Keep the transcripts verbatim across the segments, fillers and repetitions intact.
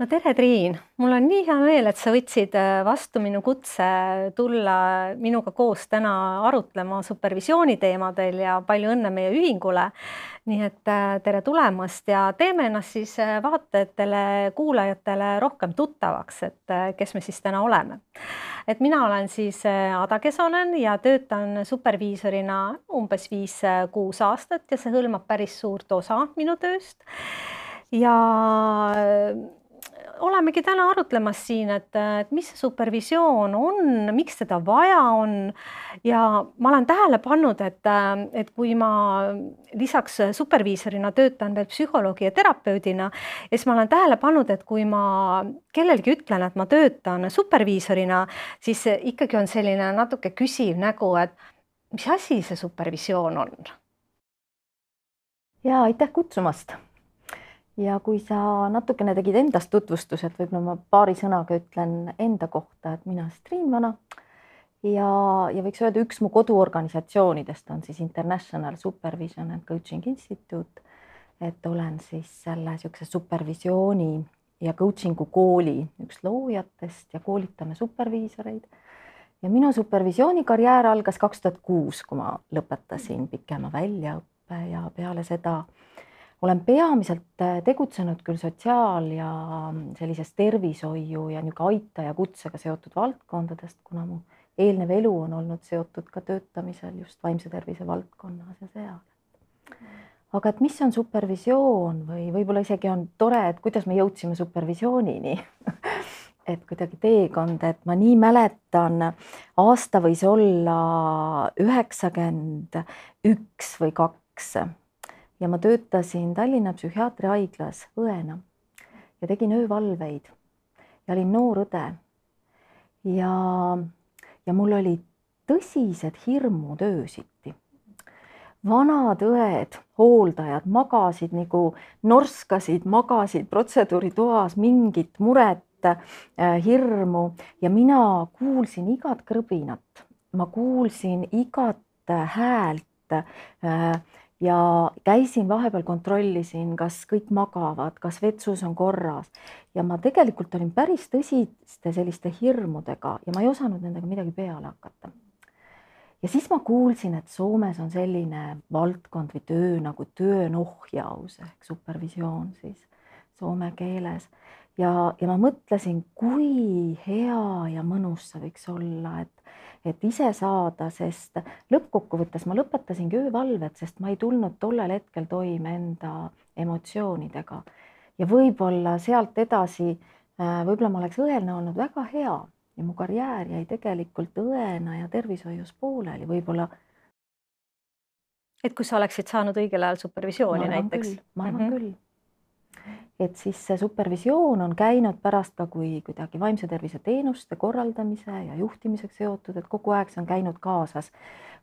no tere, Triin! Mul on nii hea meel, et sa võtsid vastu minu kutse tulla minuga koos täna arutlema supervisiooni teemadel ja palju õnne meie ühingule. Nii et tere tulemast ja teeme ennast siis vaatajatele, kuulajatele rohkem tuttavaks, et kes me siis täna oleme. Et mina olen siis Ada Kesonen ja töötan superviisorina umbes viis-kuus aastat ja see hõlmab päris suurt osa minu tööst. Ja olemegi täna arutlemas siin, et, et mis see supervisioon on, miks seda vaja on ja ma olen tähele pannud, et, et kui ma lisaks superviisorina töötan veel psühholoogi ja terapeudina, ja siis ma olen tähele pannud, et kui ma kellelgi ütlen, et ma töötan superviisorina, siis ikkagi on selline natuke küsiv nägu, et mis asi see supervisioon on? Ja aitäh kutsumast! Ja kui sa natukene tegid endast tutvustused, võib-olla ma paari sõnaga ütlen enda kohta, et mina siis Triin Vana ja, ja võiks öelda, üks mu koduorganisatsioonidest on siis International Supervision and Coaching Institute, et olen siis selle niisuguse supervisiooni ja coachingu kooli üks loojatest ja koolitame superviisoreid. Ja minu supervisioonikarjäär algas kaks tuhat kuus, kui ma lõpetasin pikema väljaõppe ja peale seda olen peamiselt tegutsenud küll sotsiaal- ja sellises tervishoiu ja niisugune aitaja kutsega seotud valdkondadest, kuna mu eelnev elu on olnud seotud ka töötamisel just vaimse tervise valdkonnas ja seal. Aga et mis on supervisioon või võib-olla isegi on tore, et kuidas me jõudsime supervisioonini, et kuidagi teekond, et ma nii mäletan, aasta võis olla üheksakümmend üks või kaks. Ja ma töötasin Tallinna psühhiaatriahaiglas õena ja tegin öövalveid ja olin noor õde. Ja, ja mul oli tõsised hirmud öösiti. Vanad õed, hooldajad magasid nagu norskasid, magasid protseduuritoas mingit muret, hirmu ja mina kuulsin igat krõbinat. Ma kuulsin igat häält ja käisin vahepeal, kontrollisin, kas kõik magavad, kas vetsus on korras. Ja ma tegelikult olin päris tõsiste selliste hirmudega ja ma ei osanud nendega midagi peale hakata. Ja siis ma kuulsin, et Soomes on selline valdkond või töö nagu työnohjaus ehk supervisioon siis soome keeles. Ja, ja ma mõtlesin, kui hea ja mõnus see võiks olla, et et ise saada, sest lõppkokkuvõttes ma lõpetasingi öövalved, sest ma ei tulnud tollel hetkel toime enda emotsioonidega. Ja võib-olla sealt edasi, võib-olla ma oleks õelne olnud väga hea ja mu karjäär jäi tegelikult õena ja tervishoius pooleli, võib-olla. Et kui sa oleksid saanud õigel ajal supervisiooni näiteks? Küll, ma arvan mm-hmm. küll. Et siis see supervisioon on käinud pärast ka kui kuidagi vaimse tervise teenuste korraldamise ja juhtimiseks seotud, et kogu aeg see on käinud kaasas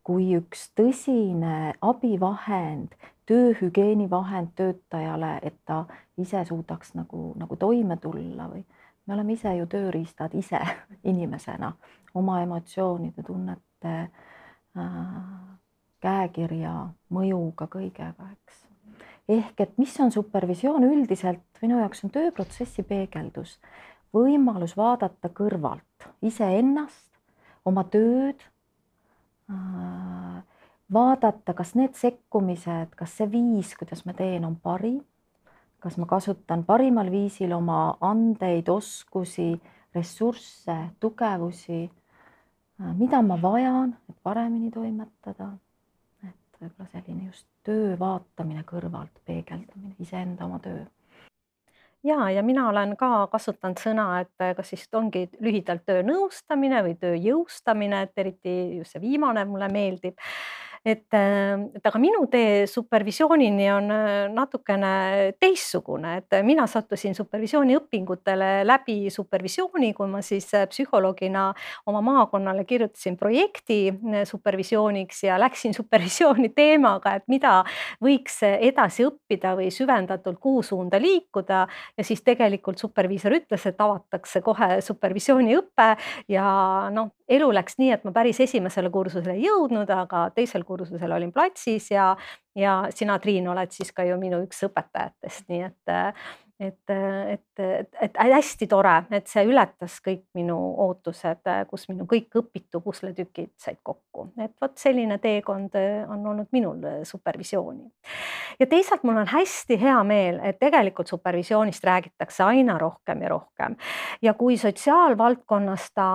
kui üks tõsine abivahend, tööhügieenivahend töötajale, et ta ise suudaks nagu, nagu toime tulla või me oleme ise ju tööriistad ise inimesena oma emotsioonide, tunnete, äh, käekirja, mõjuga kõigega, eks. Ehk, et mis on supervisioon üldiselt, minu jaoks on tööprotsessi peegeldus, võimalus vaadata kõrvalt iseennast, oma tööd, vaadata, kas need sekkumised, kas see viis, kuidas ma teen, on parim, kas ma kasutan parimal viisil oma andeid, oskusi, ressursse, tugevusi, mida ma vajan, et paremini toimetada. Võib-olla selline just töö vaatamine kõrvalt, peegeldamine, iseenda oma töö. Ja, ja mina olen ka kasutanud sõna, et kas siis ongi lühidalt töö nõustamine või töö jõustamine, et eriti just see viimane mulle meeldib. Et, et aga minu tee supervisioonini on natukene teistsugune, et mina sattusin supervisiooni õpingutele läbi supervisiooni, kui ma siis psühholoogina oma maakonnale kirjutasin projekti supervisiooniks ja läksin supervisiooni teemaga, et mida võiks edasi õppida või süvendatult kuhu suunda liikuda ja siis tegelikult superviisor ütles, et avatakse kohe supervisiooni õppe ja noh, elu läks nii, et ma päris esimesele kursusele ei jõudnud, aga teisel kursusel olin platsis ja, ja sina, Triin, oled siis ka ju minu üks õpetajatest, nii et, et, et, et, et hästi tore, et see ületas kõik minu ootused, kus minu kõik õpitu pusletükid said kokku, et vot selline teekond on olnud minul supervisiooni. Ja teisalt mul on hästi hea meel, et tegelikult supervisioonist räägitakse aina rohkem ja rohkem. Ja kui sotsiaalvaldkonnas ta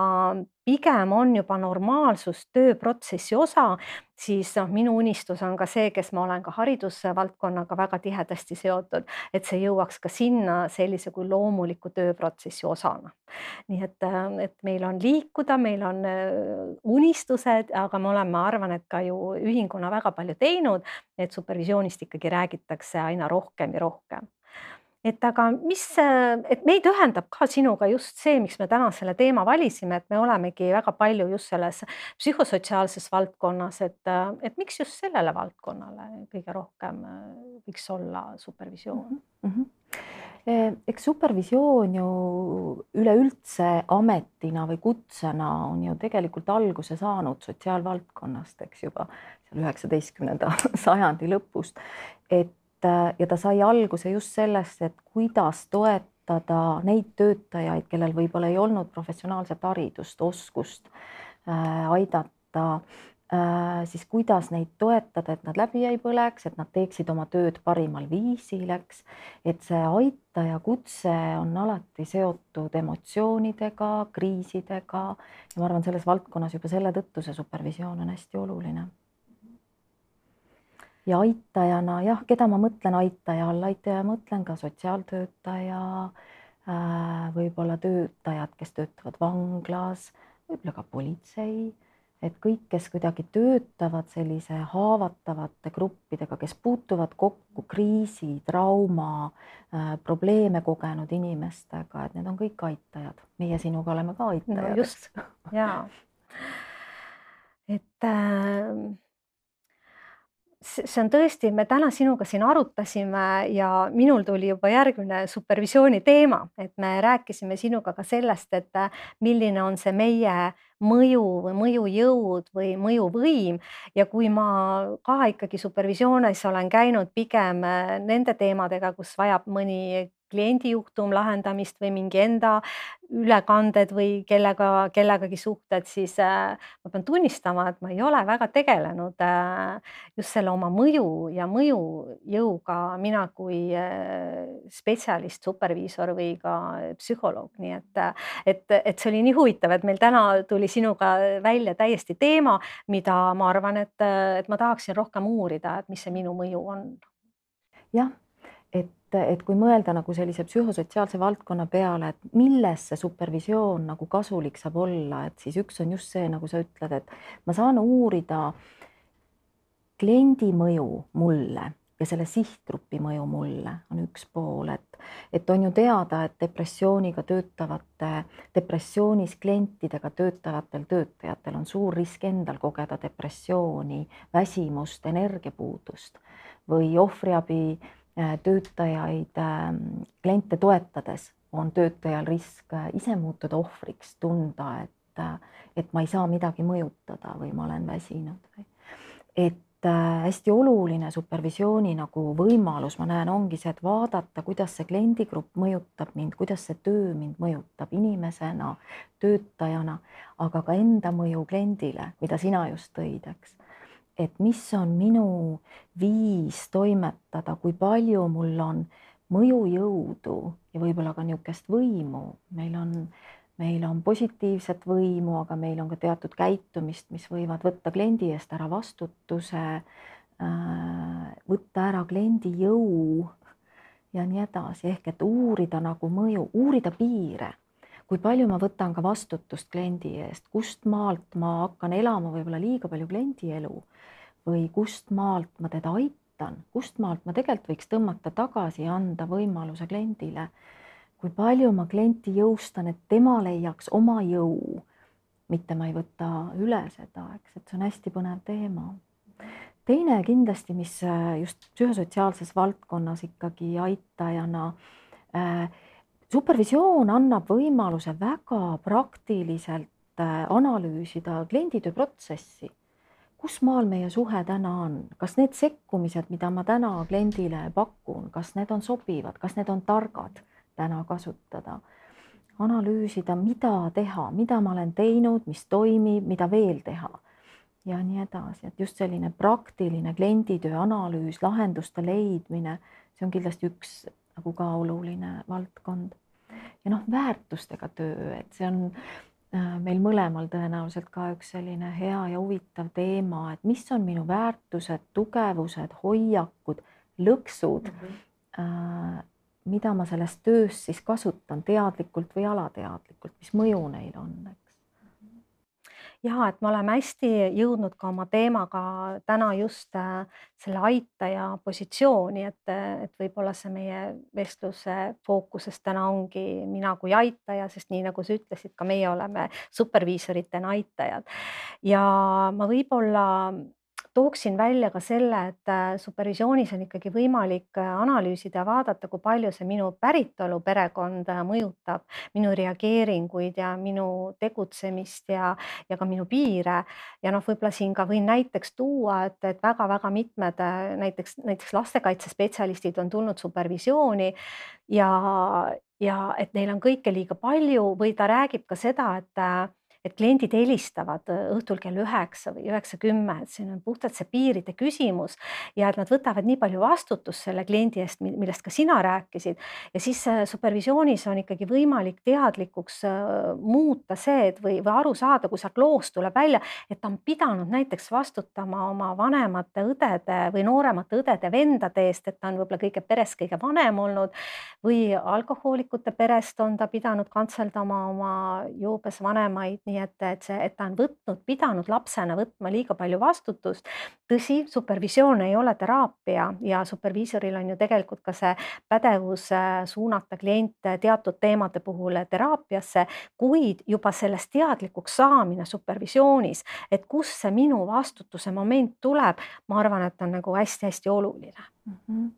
pigem on juba normaalsus tööprotsessi osa, siis noh, minu unistus on ka see, kes ma olen ka haridusvaldkonnaga väga tihedasti seotud, et see jõuaks ka sinna sellise kui loomuliku tööprotsessi osana. Nii et, et meil on liikuda, meil on unistused, aga me oleme, ma arvan, et ka ju ühinguna väga palju teinud, et supervisioonist ikkagi räägitakse aina rohkem ja rohkem. Et aga mis, et meid ühendab ka sinuga just see, miks me täna selle teema valisime, et me olemegi väga palju just selles psühhosotsiaalses valdkonnas, et, et miks just sellele valdkonnale kõige rohkem võiks olla supervisioon? Mm-hmm. Eks supervisioon ju üleüldse ametina või kutsena on ju tegelikult alguse saanud sotsiaalvaldkonnast, eks juba seal üheksateistkümnenda sajandi lõpust, et ja ta sai alguse just sellest, et kuidas toetada neid töötajaid, kellel võib-olla ei olnud professionaalset haridust, oskust äh, aidata, äh, siis kuidas neid toetada, et nad läbi ei põleks, et nad teeksid oma tööd parimal viisil, eks, et see aitaja kutse on alati seotud emotsioonidega, kriisidega ja ma arvan, selles valdkonnas juba selle tõttu see supervisioon on hästi oluline. Ja aitajana, jah, keda ma mõtlen aitaja all, aitaja mõtlen ka sotsiaaltöötaja, võib-olla töötajad, kes töötavad vanglas, võib-olla ka politsei, et kõik, kes kuidagi töötavad sellise haavatavate gruppidega, kes puutuvad kokku kriisi, trauma, probleeme kogenud inimestega, et need on kõik aitajad. Meie sinuga oleme ka aitajad. No just, jaa. Et äh... see on tõesti, me täna sinuga siin arutasime ja minul tuli juba järgmine supervisiooni teema, et me rääkisime sinuga ka sellest, et milline on see meie mõju või mõjujõud või mõjuvõim ja kui ma ka ikkagi supervisioonis olen käinud pigem nende teemadega, kus vajab mõni kliendijuhtum lahendamist või mingi enda ülekanded või kellega, kellegagi suhted, siis ma pean tunnistama, et ma ei ole väga tegelenud just selle oma mõju ja mõjujõuga mina kui spetsialist, superviisor või ka psühholoog, nii et, et, et see oli nii huvitav, et meil täna tuli sinuga välja täiesti teema, mida ma arvan, et, et ma tahaksin rohkem uurida, et mis see minu mõju on. Jah, et, et kui mõelda nagu sellise psühhosotsiaalse valdkonna peale, et milles see supervisioon nagu kasulik saab olla, et siis üks on just see, nagu sa ütled, et ma saan uurida kliendi mõju mulle ja selle sihtgrupi mõju mulle on üks pool, et, et on ju teada, et depressiooniga töötavate, depressioonis klientidega töötavatel töötajatel on suur risk endal kogeda depressiooni, väsimust, energiapuudust või ohvriabi töötajaid, kliente toetades on töötajal risk ise muutuda ohvriks, tunda, et, et ma ei saa midagi mõjutada või ma olen väsinud. Et hästi oluline supervisiooni nagu võimalus, ma näen, ongi see, et vaadata, kuidas see kliendigrupp mõjutab mind, kuidas see töö mind mõjutab inimesena, töötajana, aga ka enda mõju kliendile, mida sina just tõid, eks. Et mis on minu viis toimetada, kui palju mul on mõjujõudu ja võib-olla ka niisugust võimu. Meil on, meil on positiivset võimu, aga meil on ka teatud käitumist, mis võivad võtta kliendi eest ära vastutuse, võtta ära kliendi jõu ja nii edasi. Ehk et uurida nagu mõju, uurida piire. Kui palju ma võtan ka vastutust kliendi eest, kust maalt ma hakkan elama võib-olla liiga palju kliendi elu või kust maalt ma teda aitan, kust maalt ma tegelikult võiks tõmmata tagasi ja anda võimaluse kliendile. Kui palju ma klienti jõustan, et tema leiaks oma jõu, mitte ma ei võta üle seda, eks, et see on hästi põnev teema. Teine kindlasti, mis just psühhosotsiaalses valdkonnas ikkagi aitajana äh, supervisioon annab võimaluse väga praktiliselt analüüsida klienditöö protsessi. kus maal meie suhe täna on, kas need sekkumised, mida ma täna kliendile pakun, kas need on sobivad, kas need on targad täna kasutada, analüüsida, mida teha, mida ma olen teinud, mis toimib, mida veel teha ja nii edasi, et just selline praktiline klienditöö analüüs, lahenduste leidmine, see on kindlasti üks nagu ka oluline valdkond. Ja noh, väärtustega töö, et see on meil mõlemal tõenäoliselt ka üks selline hea ja huvitav teema, et mis on minu väärtused, tugevused, hoiakud, lõksud, mm -hmm. mida ma selles töös siis kasutan teadlikult või alateadlikult, mis mõju neil on, eks. Ja, et me oleme hästi jõudnud ka oma teemaga täna just selle aitaja positsiooni, et, et võib-olla see meie vestluse fookuses täna ongi mina kui aitaja, sest nii nagu sa ütlesid, ka meie oleme superviisoritena aitajad. Ja ma võib-olla tooksin välja ka selle, et supervisioonis on ikkagi võimalik analüüsida ja vaadata, kui palju see minu päritolu perekond mõjutab minu reageeringuid ja minu tegutsemist ja, ja ka minu piire. Ja noh, võib-olla siin ka võin näiteks tuua, et, et väga-väga mitmed näiteks, näiteks lastekaitsespetsialistid on tulnud supervisiooni ja, ja et neil on kõike liiga palju või ta räägib ka seda, et et kliendid helistavad õhtul kell üheksa või üheksa kümme, et siin on puhtalt see piiride küsimus ja et nad võtavad nii palju vastutust selle kliendi eest, millest ka sina rääkisid. Ja siis supervisioonis on ikkagi võimalik teadlikuks muuta see, et või, või aru saada, kui sealt loost tuleb välja, et ta on pidanud näiteks vastutama oma vanemate õdede või nooremate õdede vendade eest, et ta on võib-olla kõige peres kõige vanem olnud või alkohoolikute perest on ta pidanud kantseldama oma joobes vanemaid. Nii et, et, see, et ta on võtnud, pidanud lapsena võtma liiga palju vastutust. Tõsi, supervisioon ei ole teraapia ja superviisoril on ju tegelikult ka see pädevus suunata kliente teatud teemade puhul teraapiasse, kuid juba sellest teadlikuks saamine supervisioonis, et kus see minu vastutuse moment tuleb, ma arvan, et on nagu hästi-hästi oluline. Mm -hmm.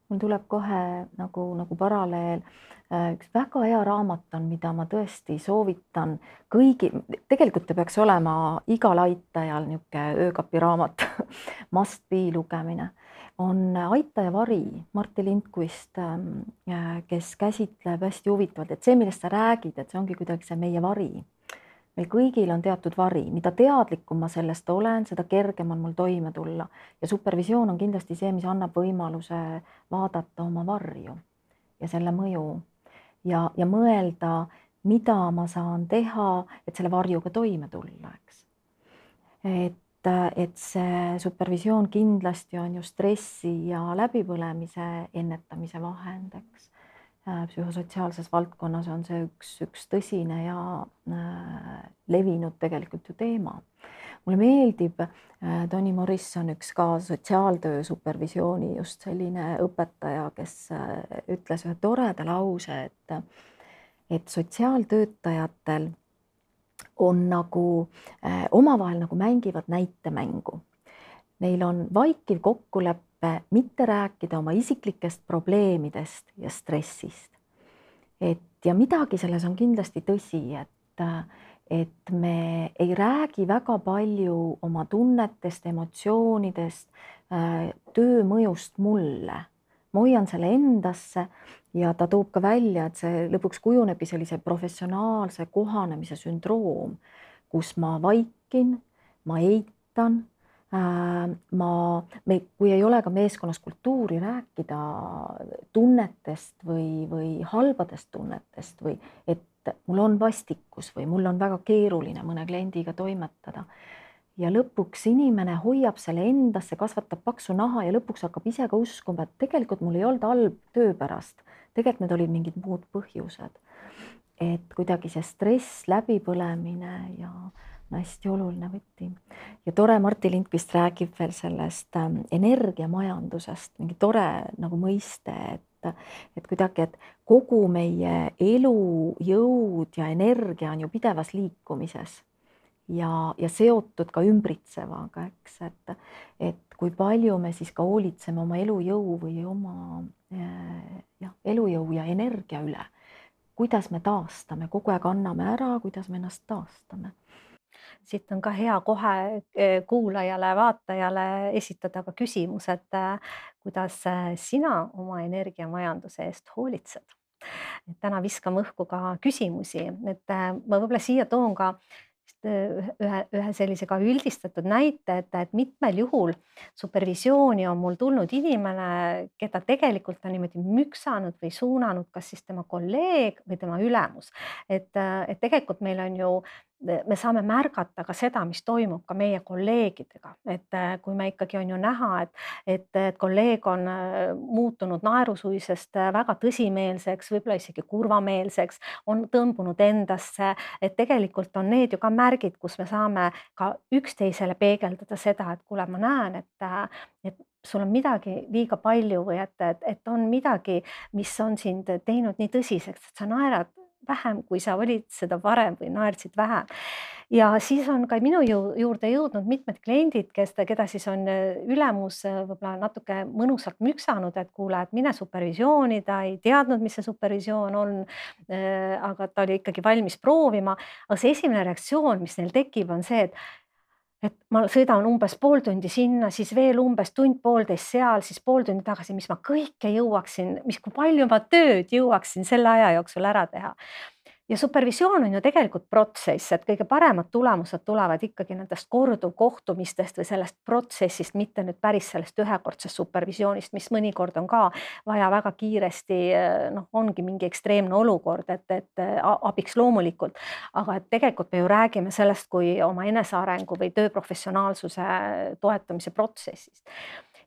Mul tuleb kohe nagu, nagu paralleel. Üks väga hea raamat on, mida ma tõesti soovitan kõigi, tegelikult ta peaks olema igal aitajal niisugune öökapiraamat, must be lugemine, on Aitaja vari, Martti Lindqvist, kes käsitleb hästi huvitavalt, et see, millest sa räägid, et see ongi kuidagi see meie vari. Meil kõigil on teatud vari, mida teadlikum ma sellest olen, seda kergem on mul toime tulla ja supervisioon on kindlasti see, mis annab võimaluse vaadata oma varju ja selle mõju. Ja, ja mõelda, mida ma saan teha, et selle varjuga toime tulla, eks. Et, et see supervisioon kindlasti on ju stressi ja läbipõlemise ennetamise vahend, eks. Psühhosotsiaalses valdkonnas on see üks, üks tõsine ja äh, levinud tegelikult ju teema. Mulle meeldib äh, Toni Morrison, üks ka sotsiaaltöö supervisiooni just selline õpetaja, kes äh, ütles ühe toreda lause, et, et sotsiaaltöötajatel on nagu äh, omavahel nagu mängivad näitemängu. Neil on vaikiv kokkulepe mitte rääkida oma isiklikest probleemidest ja stressist. Et, ja midagi selles on kindlasti tõsi, et, et me ei räägi väga palju oma tunnetest, emotsioonidest, töö mõjust mulle. Ma hoian selle endasse ja ta toob ka välja, et see lõpuks kujunebi sellise professionaalse kohanemise sündroom, kus ma vaikin, ma eitan, ma, me, kui ei ole ka meeskonnas kultuuri rääkida tunnetest või, või halbadest tunnetest või et mul on vastikus või mul on väga keeruline mõne kliendiga toimetada. Ja lõpuks inimene hoiab selle endasse, kasvatab paksu naha ja lõpuks hakkab ise ka uskuma, et tegelikult mul ei olnud halb töö pärast. Tegelikult need olid mingid muud põhjused. Et kuidagi see stress, läbipõlemine ja hästi oluline võti. Ja tore Martti Lindqvist räägib veel sellest energiamajandusest, mingi tore nagu mõiste, et, et kuidagi, et kogu meie elu, jõud ja energia on ju pidevas liikumises ja, ja seotud ka ümbritsevaga, eks, et, et kui palju me siis ka hoolitseme oma elujõu või oma jah, elujõu ja energia üle, kuidas me taastame, kogu aeg anname ära, kuidas me ennast taastame. siit on ka hea kohe kuulajale, vaatajale esitada ka küsimus, et kuidas sina oma energiamajanduse eest hoolitsed. Et täna viskame õhku ka küsimusi, et ma võib-olla siia toon ka ühe, ühe sellise ka üldistatud näite, et, et mitmel juhul supervisiooni on mul tulnud inimene, keda tegelikult on niimoodi müksanud või suunanud kas siis tema kolleeg või tema ülemus. Et, et tegelikult meil on ju, me saame märgata ka seda, mis toimub ka meie kolleegidega, et kui me ikkagi on ju näha, et, et, et kolleeg on muutunud naerusuisest väga tõsimeelseks, võib-olla isegi kurvameelseks, on tõmbunud endasse, et tegelikult on need ju ka märgid, kus me saame ka üksteisele peegeldada seda, et kuule, ma näen, et, et sul on midagi liiga palju või et, et, et on midagi, mis on sind teinud nii tõsiseks, et sa naerad vähem, kui sa olid seda varem või naersid vähem. Ja siis on ka minu juurde jõudnud mitmed kliendid, kes, keda siis on ülemus võib-olla natuke mõnusalt müksanud, et kuule, et mine supervisiooni, ta ei teadnud, mis see supervisioon on, aga ta oli ikkagi valmis proovima. Aga see esimene reaktsioon, mis neil tekib, on see, et et ma sõidan umbes pool tundi sinna, siis veel umbes tund-poolteist seal, siis pool tundi tagasi, mis ma kõike jõuaksin, mis kui palju ma tööd jõuaksin selle aja jooksul ära teha. Ja supervisioon on ju tegelikult protsess, et kõige paremad tulemused tulevad ikkagi nendest korduvkohtumistest või sellest protsessist, mitte nüüd päris sellest ühekordsest supervisioonist, mis mõnikord on ka vaja väga kiiresti, noh, ongi mingi ekstreemne olukord, et, et abiks loomulikult, aga et tegelikult me ju räägime sellest kui oma enesearengu või tööprofessionaalsuse toetamise protsessist.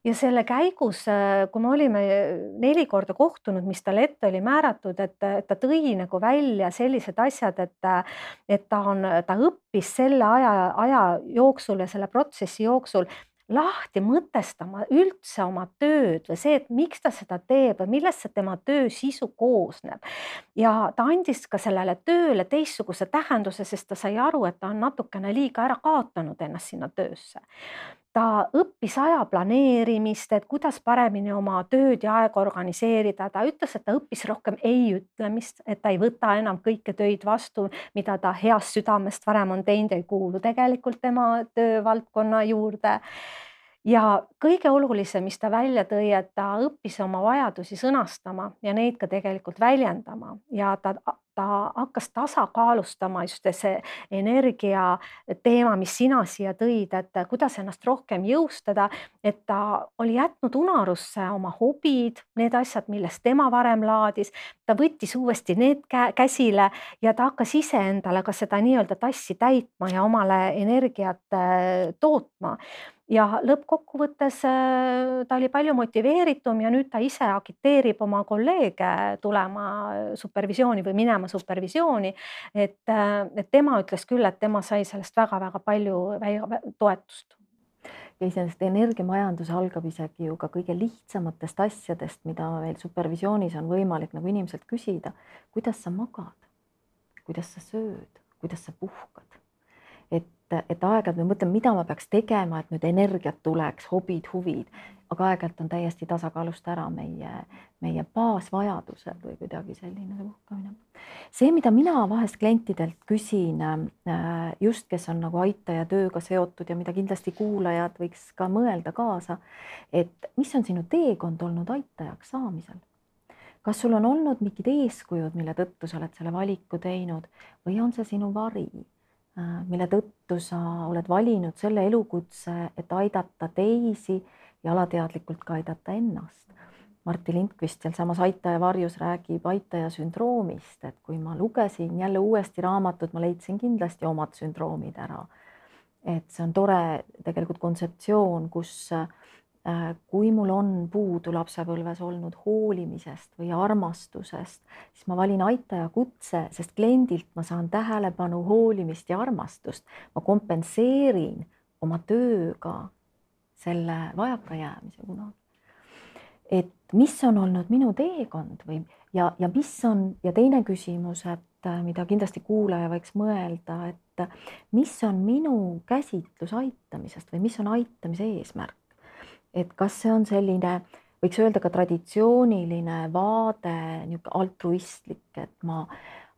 Ja selle käigus, kui me olime neli korda kohtunud, mis talle ette oli määratud, et, et ta tõi nagu välja sellised asjad, et, et ta, on, ta õppis selle aja, aja jooksul ja selle protsessi jooksul lahti mõtestama üldse oma tööd või see, et miks ta seda teeb või millest see tema töö sisu koosneb. Ja ta andis ka sellele tööle teistsuguse tähenduse, sest ta sai aru, et ta on natukene liiga ära kaotanud ennast sinna töösse. Ta õppis aja planeerimist, et kuidas paremini oma tööd ja aega organiseerida. Ta ütles, et ta õppis rohkem ei ütlemist, et ta ei võta enam kõike töid vastu, mida ta heast südamest varem on teinud, ei kuulu tegelikult tema töövaldkonna juurde. Ja kõige olulisem, mis ta välja tõi, et ta õppis oma vajadusi sõnastama ja neid ka tegelikult väljendama ja ta ta hakkas tasakaalustama just see energia teema, mis sina siia tõid, et kuidas ennast rohkem jõustada, et ta oli jätnud unarusse oma hobid, need asjad, millest tema varem laadis, ta võttis uuesti need käsile ja ta hakkas ise endale ka seda nii-öelda tassi täitma ja omale energiat tootma. Ja lõppkokkuvõttes ta oli palju motiveeritum ja nüüd ta ise agiteerib oma kolleege tulema supervisiooni või minema supervisiooni, et, et tema ütles küll, et tema sai sellest väga-väga palju toetust. Ja iseenesest energiamajandus algab isegi ju ka kõige lihtsamatest asjadest, mida meil supervisioonis on võimalik nagu inimeselt küsida, kuidas sa magad, kuidas sa sööd, kuidas sa puhkad. Et, et aeg-ajalt me mõtleme, mida ma peaks tegema, et nüüd energiat tuleks, hobid, huvid, aga aeg-ajalt on täiesti tasakaalust ära meie, meie baasvajadused või kuidagi selline puhkamine. See, mida mina vahest klientidelt küsin, just kes on nagu aitaja tööga seotud ja mida kindlasti kuulajad võiks ka mõelda kaasa, et mis on sinu teekond olnud aitajaks saamisel? Kas sul on olnud mingid eeskujud, mille tõttu sa oled selle valiku teinud või on see sinu vari? Mille tõttu sa oled valinud selle elukutse, et aidata teisi ja alateadlikult ka aidata ennast. Martti Lindqvist seal samas Aitaja varjus räägib aitaja sündroomist, et kui ma lugesin jälle uuesti raamatut, ma leidsin kindlasti omad sündroomid ära. Et see on tore tegelikult kontseptsioon, kus kui mul on puudu lapsepõlves olnud hoolimisest või armastusest, siis ma valin aitaja kutse, sest kliendilt ma saan tähelepanu, hoolimist ja armastust. Ma kompenseerin oma tööga selle vajakajäämise kunagi. Et mis on olnud minu teekond või ja, ja mis on ja teine küsimus, et mida kindlasti kuulaja võiks mõelda, et mis on minu käsitlus aitamisest või mis on aitamise eesmärk. Et kas see on selline, võiks öelda ka traditsiooniline vaade, niisugune altruistlik, et ma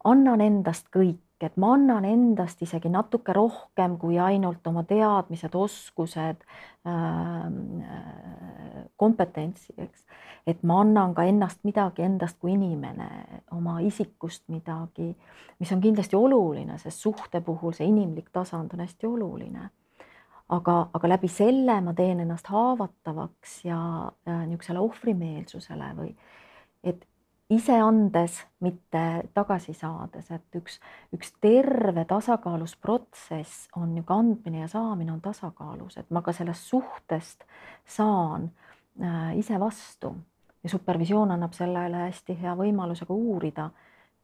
annan endast kõik et ma annan endast isegi natuke rohkem kui ainult oma teadmised, oskused, kompetentsi, eks. Et ma annan ka ennast midagi endast kui inimene, oma isikust midagi, mis on kindlasti oluline, sest suhte puhul see inimlik tasand on hästi oluline. Aga, aga läbi selle ma teen ennast haavatavaks ja, ja niisugusele ohvrimeelsusele või et ise andes, mitte tagasi saades, et üks, üks terve tasakaalus protsess on ju ka andmine ja saamine on tasakaalus, et ma ka sellest suhtest saan äh, ise vastu ja supervisioon annab sellele hästi hea võimaluse ka uurida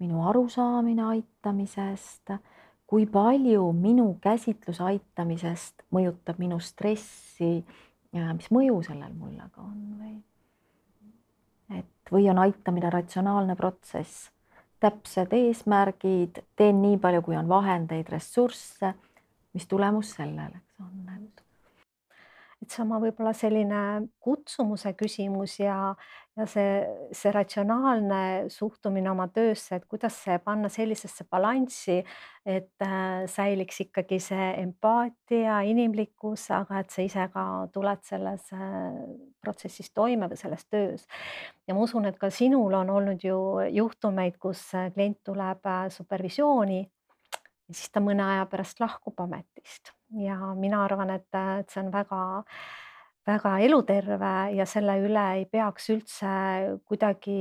minu arusaamine aitamisest, kui palju minu käsitlus aitamisest mõjutab minu stressi, mis mõju sellel mulle ka on või et või on aitamine ratsionaalne protsess, täpsed eesmärgid, teen nii palju, kui on vahendeid, ressursse, mis tulemus selleks on. Et see oma võib-olla selline kutsumuse küsimus ja, ja see, see ratsionaalne suhtumine oma töösse, et kuidas see panna sellisesse balanssi, et äh, säiliks ikkagi see empaatia, inimlikkus, aga et sa ise ka tuled selles äh, protsessis toime või selles töös. Ja ma usun, et ka sinul on olnud ju juhtumeid, kus klient tuleb supervisiooni ja siis ta mõne aja pärast lahkub ametist ja mina arvan, et, et see on väga, väga eluterve ja selle üle ei peaks üldse kuidagi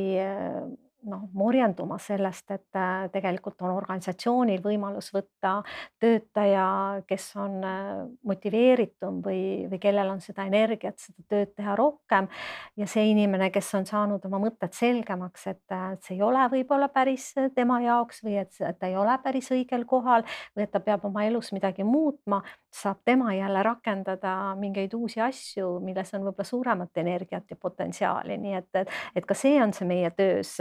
noh, morjenduma sellest, et tegelikult on organisatsioonil võimalus võtta töötaja, kes on motiveeritum või, või kellel on seda energiat, seda tööd teha rohkem ja see inimene, kes on saanud oma mõtted selgemaks, et see ei ole võib-olla päris tema jaoks või et ta ei ole päris õigel kohal või et ta peab oma elus midagi muutma, saab tema jälle rakendada mingeid uusi asju, milles on võib-olla suuremat energiat ja potentsiaali, nii et, et, et ka see on see meie töös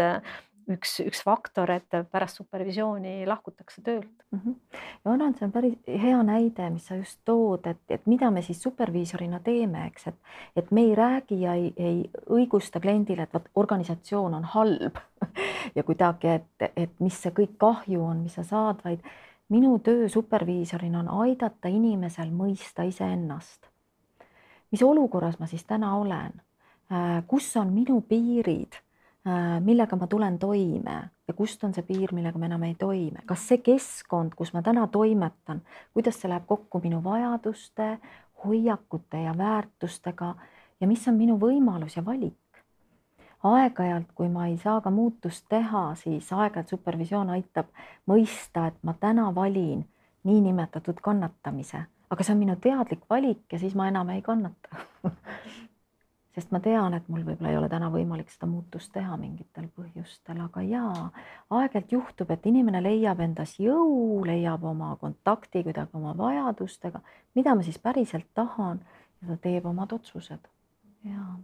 üks, üks faktor, et pärast supervisiooni lahkutakse töölt. Mm -hmm. Ja arvan, see on päris hea näide, mis sa just tood, et, et mida me siis superviisorina teeme, eks, et, et me ei räägi ja ei, ei õigusta kliendile, et vaat organisatsioon on halb ja kuidagi, et, et mis see kõik kahju on, mis sa saad, vaid minu töö superviisorina on aidata inimesel mõista iseennast. Mis olukorras ma siis täna olen? Kus on minu piirid, millega ma tulen toime ja kust on see piir, millega ma enam ei toime? Kas see keskkond, kus ma täna toimetan, kuidas see läheb kokku minu vajaduste, hoiakute ja väärtustega ja mis on minu võimalus ja valik? Aeg-ajalt, kui ma ei saa ka muutust teha, siis aeg-ajalt supervisioon aitab mõista, et ma täna valin niinimetatud kannatamise, aga see on minu teadlik valik ja siis ma enam ei kannata. Sest ma tean, et mul võib-olla ei ole täna võimalik seda muutust teha mingitel põhjustel, aga jaa, aeg-ajalt juhtub, et inimene leiab endas jõu, leiab oma kontakti kuidagi oma vajadustega, mida ma siis päriselt tahan ja ta teeb omad otsused. Jaa.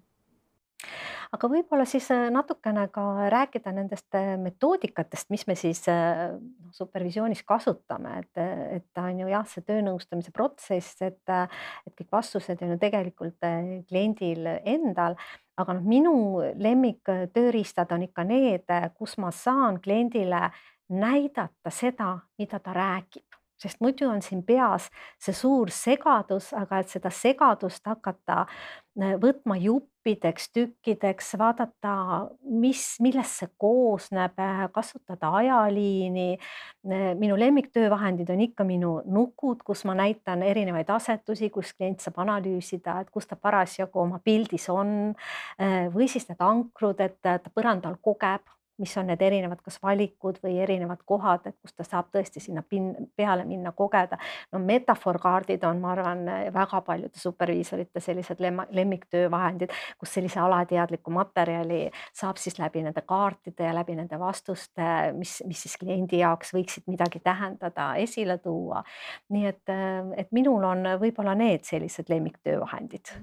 Aga võib-olla siis natukene ka rääkida nendest metoodikatest, mis me siis supervisioonis kasutame, et, et ta on ju jah, see töönõustamise protsess, et, et kõik vastused on ju tegelikult kliendil endal, aga noh, minu lemmik tööriistad on ikka need, kus ma saan kliendile näidata seda, mida ta räägib. Sest muidu on siin peas see suur segadus, aga et seda segadust hakata võtma juppideks, tükkideks, vaadata, mis, millest see koosneb, kasutada ajaliini. Minu lemmiktöövahendid on ikka minu nukud, kus ma näitan erinevaid asetusi, kus klient saab analüüsida, et kus ta parasjagu oma pildis on või siis need ankrud, et ta põrandal kogeb, mis on need erinevad kas valikud või erinevad kohad, et kus ta saab tõesti sinna peale minna kogeda. No metafoorkaardid on, ma arvan, väga paljude superviisorite sellised lemmiktöövahendid, kus sellise alateadliku materjali saab siis läbi nende kaartide ja läbi nende vastuste, mis, mis siis kliendi jaoks võiksid midagi tähendada, esile tuua. Nii et, et minul on võib-olla need sellised lemmiktöövahendid.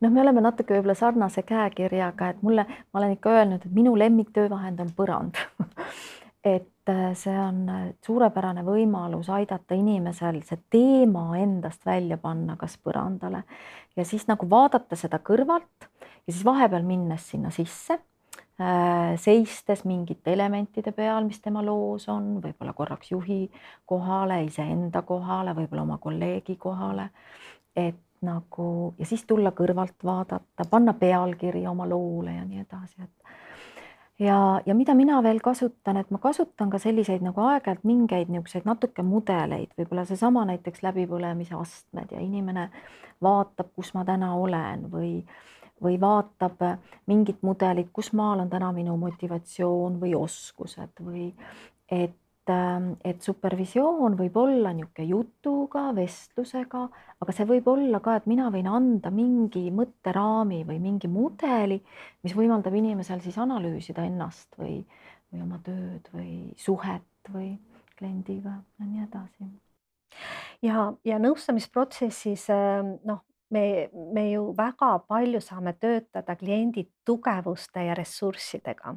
Noh, me oleme natuke võib-olla sarnase käekirjaga, et mulle, ma olen ikka öelnud, et minu lemmiktöövahend on põrand. Et see on suurepärane võimalus aidata inimesel see teema endast välja panna kas põrandale ja siis nagu vaadata seda kõrvalt ja siis vahepeal minnes sinna sisse, seistes mingite elementide peal, mis tema loos on, võib-olla korraks juhi kohale, iseenda kohale, võib-olla oma kolleegi kohale, et nagu ja siis tulla kõrvalt vaadata, panna pealkiri oma loole ja nii edasi, et ja, ja mida mina veel kasutan, et ma kasutan ka selliseid nagu aeg-ajalt mingeid niisuguseid natuke mudeleid, võib-olla seesama näiteks läbipõlemise astmed ja inimene vaatab, kus ma täna olen või, või vaatab mingit mudelit, kus maal on täna minu motivatsioon või oskused või et et supervisioon võib olla niisugune jutuga, vestlusega, aga see võib olla ka, et mina võin anda mingi mõtteraami või mingi mudeli, mis võimaldab inimesel siis analüüsida ennast või, või oma tööd või suhet või kliendiga ja nii edasi. ja, ja nõustamisprotsessis noh, me, me ju väga palju saame töötada kliendi tugevuste ja ressurssidega.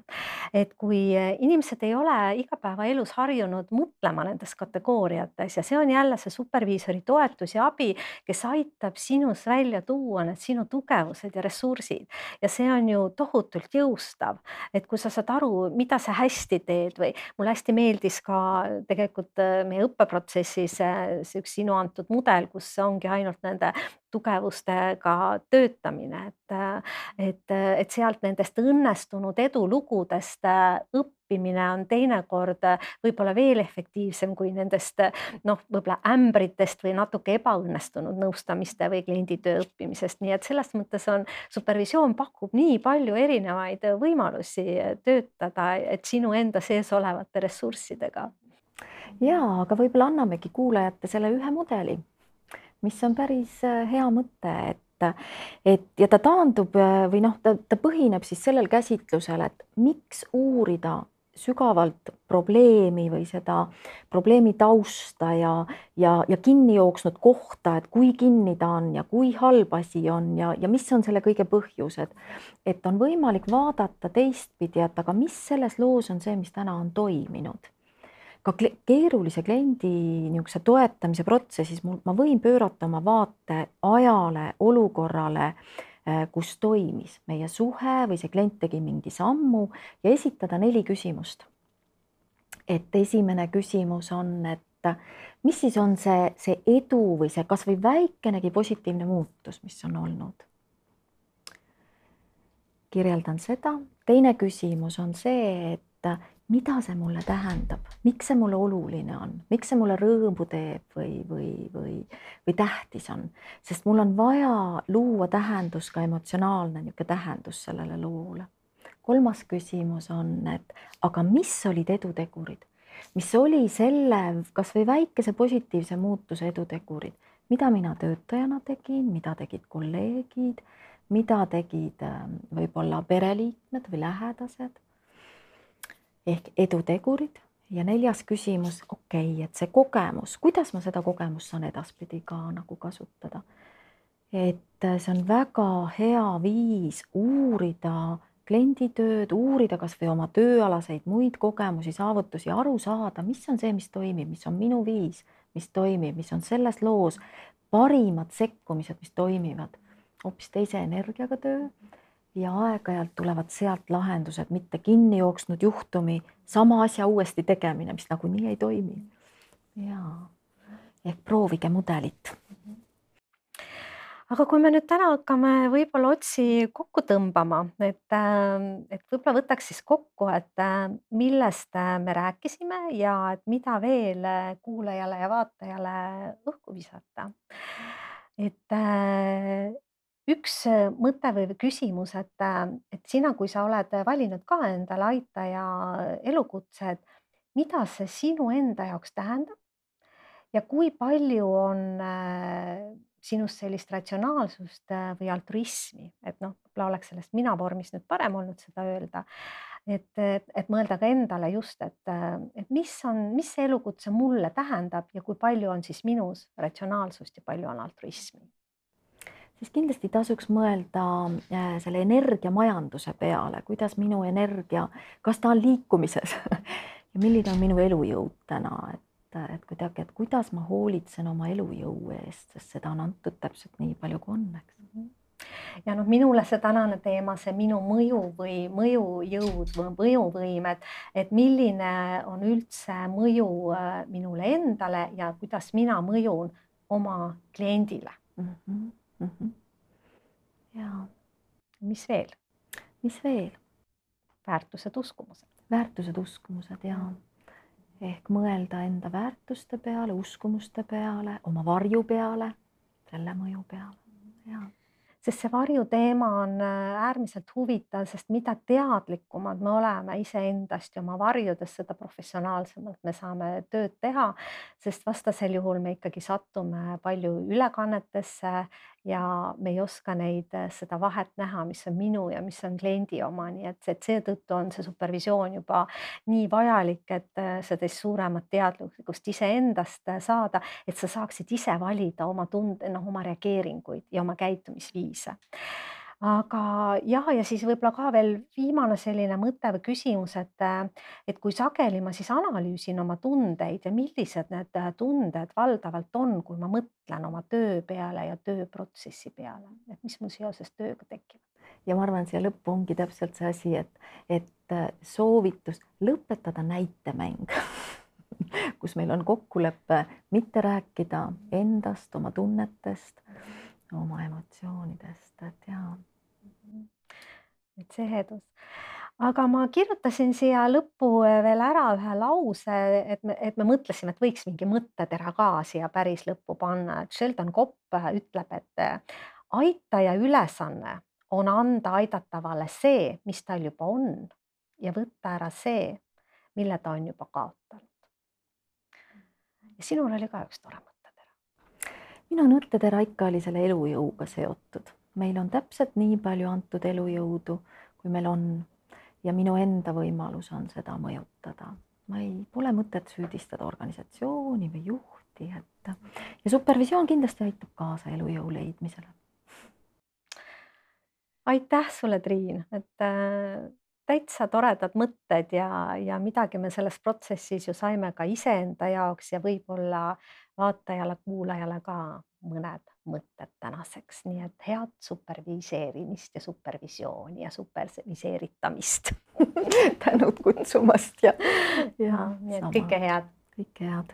Et kui inimesed ei ole igapäevaelus harjunud mõtlema nendes kategooriates ja see on jälle see superviisori toetus ja abi, kes aitab sinus välja tuua need sinu tugevused ja ressursid. Ja see on ju tohutult jõustav, et kui sa saad aru, mida sa hästi teed või mulle hästi meeldis ka tegelikult meie õppeprotsessis see üks sinu antud mudel, kus ongi ainult nende tugevustega töötamine, et, et, et sealt nendest õnnestunud edulugudest õppimine on teinekord võib-olla veel efektiivsem kui nendest noh, võib-olla ämbritest või natuke ebaõnnestunud nõustamiste või klienditöö õppimisest. Nii et selles mõttes on supervisioon pakub nii palju erinevaid võimalusi töötada, et sinu enda sees olevate ressurssidega. Ja, aga võib-olla annamegi kuulajate selle ühe mudeli, mis on päris hea mõte, et, et ja ta taandub või noh, ta, ta põhineb siis sellel käsitlusel, et miks uurida sügavalt probleemi või seda probleemi tausta ja, ja, ja kinni jooksnud kohta, et kui kinni ta on ja kui halb asi on ja, ja mis on selle kõige põhjused. Et on võimalik vaadata teistpidi, et aga mis selles loos on see, mis täna on toiminud. Ka keerulise kliendi niisuguse toetamise protsessis ma võin pöörata oma vaate ajale, olukorrale, kus toimis meie suhe või see klient tegi mingi sammu ja esitada neli küsimust. Et esimene küsimus on, et mis siis on see, see edu või see kas või väikenegi positiivne muutus, mis on olnud. Kirjeldan seda. Teine küsimus on see, et mida see mulle tähendab, miks see mulle oluline on, miks see mulle rõõmu teeb või, või, või, või tähtis on, sest mul on vaja luua tähendus, ka emotsionaalne niisugune tähendus sellele loole. Kolmas küsimus on, et aga mis olid edutegurid, mis oli selle kas või väikese positiivse muutuse edutegurid, mida mina töötajana tegin, mida tegid kolleegid, mida tegid võib-olla pereliikmed või lähedased. Ehk edutegurid ja neljas küsimus, okei, okay, et see kogemus, kuidas ma seda kogemust saan edaspidi ka nagu kasutada. Et see on väga hea viis uurida klienditööd, uurida kas või oma tööalaseid muid kogemusi, saavutusi, aru saada, mis on see, mis toimib, mis on minu viis, mis toimib, mis on selles loos parimad sekkumised, mis toimivad, hoopis teise energiaga töö. Ja aeg-ajalt tulevad sealt lahendused, mitte kinni jooksnud juhtumi, sama asja uuesti tegemine, mis nagu nii ei toimi. Jaa, ehk proovige mudelit. Aga kui me nüüd täna hakkame võib-olla otsi kokku tõmbama, et, et võib-olla võtaks siis kokku, et millest me rääkisime ja et mida veel kuulajale ja vaatajale õhku visata. Et üks mõte või küsimus, et, et sina, kui sa oled valinud ka endale aitaja elukutse, et mida see sinu enda jaoks tähendab ja kui palju on sinust sellist ratsionaalsust või altruismi, et noh, võib-olla oleks sellest mina vormis nüüd parem olnud seda öelda, et, et, et mõelda ka endale just, et, et mis on, mis see elukutse mulle tähendab ja kui palju on siis minus ratsionaalsust ja palju on altruismi. Siis kindlasti tasuks mõelda selle energiamajanduse peale, kuidas minu energia, kas ta on liikumises ja milline on minu elujõud täna, et, et kuidagi, et kuidas ma hoolitsen oma elujõu eest, sest seda on antud täpselt nii palju kui on, eks. ja noh, minule see tänane teema, see minu mõju või mõjujõud või mõjuvõimed, et milline on üldse mõju minule endale ja kuidas mina mõjun oma kliendile. Mm -hmm. Mm -hmm. Ja. Mis veel? Mis veel? Väärtused, uskumused. Väärtused, uskumused ja ehk mõelda enda väärtuste peale, uskumuste peale, oma varju peale, selle mõju peale. Ja. Sest see varju teema on äärmiselt huvitav, sest mida teadlikumad me oleme iseendast ja oma varjudest, seda professionaalsemalt me saame tööd teha, sest vastasel juhul me ikkagi sattume palju ülekannetesse ja me ei oska neid, seda vahet näha, mis on minu ja mis on kliendi oma, nii et, et seetõttu on see supervisioon juba nii vajalik, et sellest suuremat teadlikkust iseendast saada, et sa saaksid ise valida oma tunde, noh, oma reageeringuid ja oma käitumisviisi. Aga jah, ja siis võib-olla ka veel viimane selline mõte või küsimus, et, et kui sageli ma siis analüüsin oma tundeid ja millised need tunded valdavalt on, kui ma mõtlen oma töö peale ja tööprotsessi peale, et mis mul seoses tööga tekib. Ja ma arvan, siia lõppu ongi täpselt see asi, et, et soovitus lõpetada näitemäng, kus meil on kokkulepe mitte rääkida endast, oma tunnetest, oma emotsioonidest, et jaa. Et see hedus. Aga ma kirjutasin siia lõppu veel ära ühe lause, et me, et me mõtlesime, et võiks mingi mõttetera ka siia päris lõppu panna. Et Sheldon Kopp ütleb, et aitaja ülesanne on anda aidatavale see, mis tal juba on ja võtta ära see, mille ta on juba kaotanud. Ja sinul oli ka üks tore mõttetera. Minu mõttetera ikka oli selle elujõuga seotud. Meil on täpselt nii palju antud elujõudu, kui meil on ja minu enda võimalus on seda mõjutada. Ma ei pole mõtet süüdistada organisatsiooni või juhti, et ja supervisioon kindlasti aitab kaasa elujõu leidmisele. Aitäh sulle, Triin, et täitsa toredad mõtted ja, ja midagi me selles protsessis ju saime ka iseenda jaoks ja võib-olla vaatajale, kuulajale ka mõned mõtted tänaseks. Nii et head superviseerimist ja supervisiooni ja superviseeritamist. Tänud kutsumast ja, ja, ja kõike head. Kõike head.